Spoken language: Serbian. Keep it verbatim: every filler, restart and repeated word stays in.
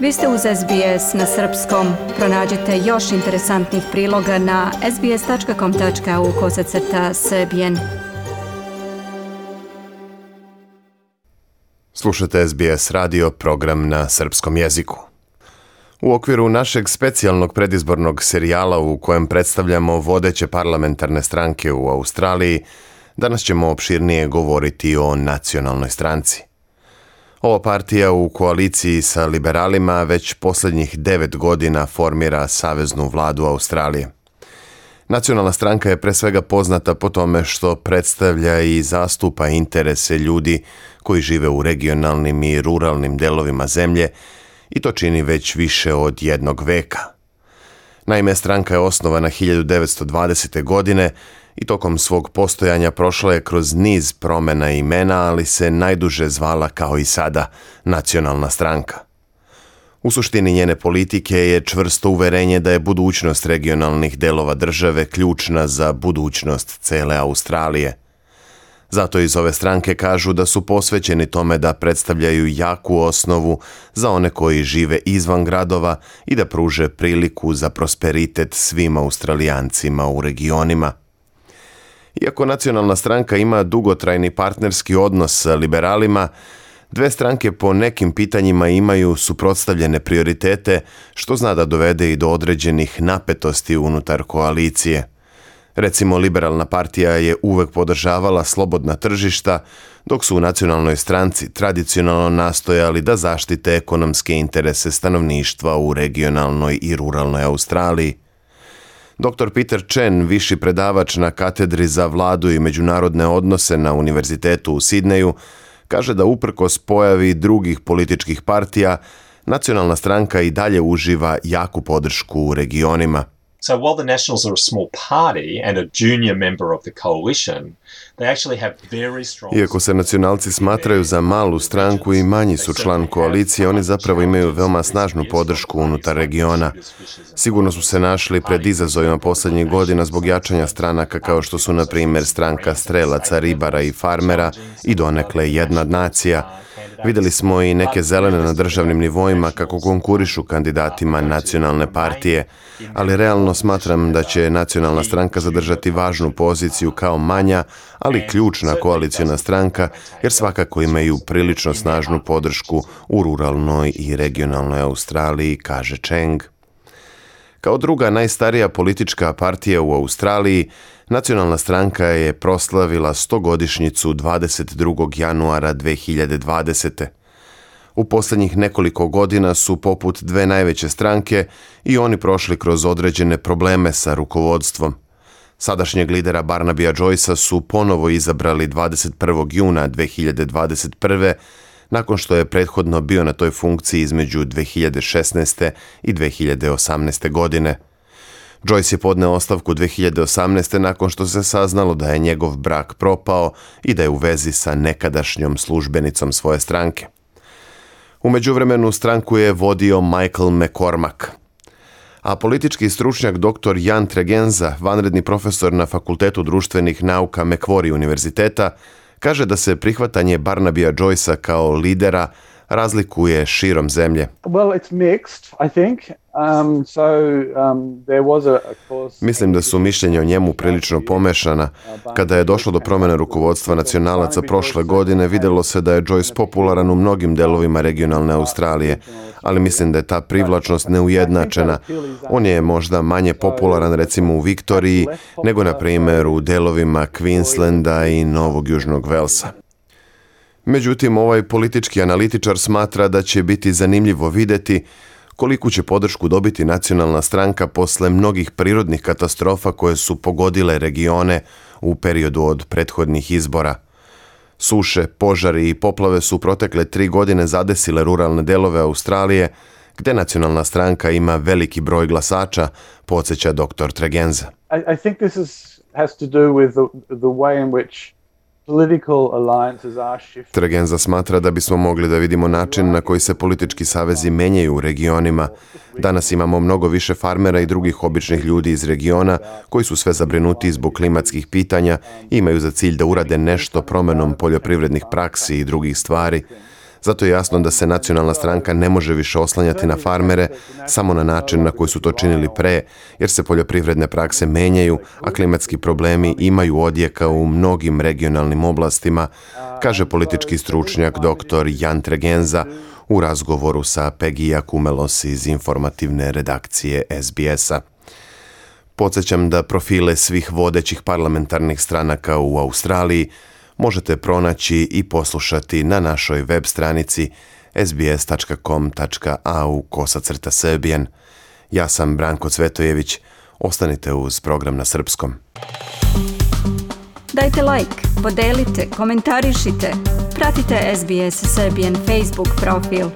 Vi ste uz S B S na srpskom. Pronađite još interesantnih priloga na sbs.com.au kosacrta srbijen. Slušate S B S radio, program na srpskom jeziku. U okviru našeg specijalnog predizbornog serijala u kojem predstavljamo vodeće parlamentarne stranke u Australiji, danas ćemo opširnije govoriti o nacionalnoj stranci. Ova partija u koaliciji sa liberalima već posljednjih devet godina formira saveznu vladu Australije. Nacionalna stranka je pre svega poznata po tome što predstavlja i zastupa interese ljudi koji žive u regionalnim i ruralnim delovima zemlje i to čini već više od jednog veka. Naime, stranka je osnovana hiljadu devetsto dvadesete. godine i tokom svog postojanja prošla je kroz niz promjena imena, ali se najduže zvala kao i sada Nacionalna stranka. U suštini njene politike je čvrsto uverenje da je budućnost regionalnih delova države ključna za budućnost cele Australije. Zato iz ove stranke kažu da su posvećeni tome da predstavljaju jaku osnovu za one koji žive izvan gradova i da pruže priliku za prosperitet svim Australijancima u regionima. Iako Nacionalna stranka ima dugotrajni partnerski odnos sa liberalima, dve stranke po nekim pitanjima imaju suprotstavljene prioritete, što zna da dovede i do određenih napetosti unutar koalicije. Recimo, liberalna partija je uvek podržavala slobodna tržišta, dok su u Nacionalnoj stranci tradicionalno nastojali da zaštite ekonomske interese stanovništva u regionalnoj i ruralnoj Australiji. doktor Peter Chen, viši predavač na katedri za vladu i međunarodne odnose na Univerzitetu u Sidneju, kaže da uprkos pojavi drugih političkih partija, Nacionalna stranka i dalje uživa jaku podršku u regionima. So while the Nationals are a small party and a junior member of the coalition, they actually have very strong... Iako se nacionalci smatraju za malu stranku i manji su član koalicije, oni zapravo imaju veoma snažnu podršku unutar regiona. Sigurno su se našli pred izazovima posljednjih godina zbog jačanja stranaka kao što su, na primjer, stranka strelaca, ribara i farmera i donekle jedna nacija. Vidjeli smo i neke zelene na državnim nivoima kako konkurišu kandidatima nacionalne partije, ali realno smatram da će Nacionalna stranka zadržati važnu poziciju kao manja, ali ključna koalicijna stranka, jer svakako imaju prilično snažnu podršku u ruralnoj i regionalnoj Australiji, kaže Cheng. Kao druga najstarija politička partija u Australiji, Nacionalna stranka je proslavila stogodišnjicu dvadeset drugog januara dve hiljade dvadesete. U posljednjih nekoliko godina su poput dve najveće stranke i oni prošli kroz određene probleme sa rukovodstvom. Sadašnjeg lidera Barnabya Joycea su ponovo izabrali dvadeset prvog juna dve hiljade dvadeset prve. nakon što je prethodno bio na toj funkciji između dve hiljade šesnaeste. i dve hiljade osamnaeste. godine. Joyce je podneo ostavku dve hiljade osamnaeste. nakon što se saznalo da je njegov brak propao i da je u vezi sa nekadašnjom službenicom svoje stranke. U međuvremenu stranku je vodio Michael McCormack. A politički stručnjak doktor Jan Tregenza, vanredni profesor na Fakultetu društvenih nauka Macquarie univerziteta, kaže da se prihvatanje Barnabya Joycea kao lidera razlikuje širom zemlje. Well, it's mixed, I think. Um, so, um, there was a, of course... Mislim da su mišljenja o njemu prilično pomešana. Kada je došlo do promjene rukovodstva nacionalaca prošle godine, vidjelo se da je Joyce popularan u mnogim delovima regionalne Australije, ali mislim da je ta privlačnost neujednačena. On je možda manje popularan recimo u Viktoriji, nego na primjer u delovima Queenslanda i Novog Južnog Velsa. Međutim, ovaj politički analitičar smatra da će biti zanimljivo vidjeti koliku će podršku dobiti Nacionalna stranka posle mnogih prirodnih katastrofa koje su pogodile regione u periodu od prethodnih izbora. Suše, požari i poplave su protekle tri godine zadesile ruralne delove Australije, gde Nacionalna stranka ima veliki broj glasača, podsjeća doktor Tregenza. I, I think this is, has to do with the, the way in which Tregenza smatra da bismo mogli da vidimo način na koji se politički savezi menjaju u regionima. Danas imamo mnogo više farmera i drugih običnih ljudi iz regiona koji su sve zabrinuti zbog klimatskih pitanja i imaju za cilj da urade nešto promenom poljoprivrednih praksi i drugih stvari. Zato je jasno da se nacionalna stranka ne može više oslanjati na farmere samo na način na koji su to činili pre, jer se poljoprivredne prakse menjaju, a klimatski problemi imaju odjeka u mnogim regionalnim oblastima, kaže politički stručnjak doktor Jan Tregenza u razgovoru sa Pegija Kumelos iz informativne redakcije S B S-a. Podsjećam da profile svih vodećih parlamentarnih stranaka u Australiji možete pronaći i poslušati na našoj web stranici s b s dot com dot a u kosacrta Serbian. Ja sam Branko Cvetojević. Ostanite uz program na srpskom. Dajte like, podelite, komentarišite. Pratite S B S Serbian Facebook profil.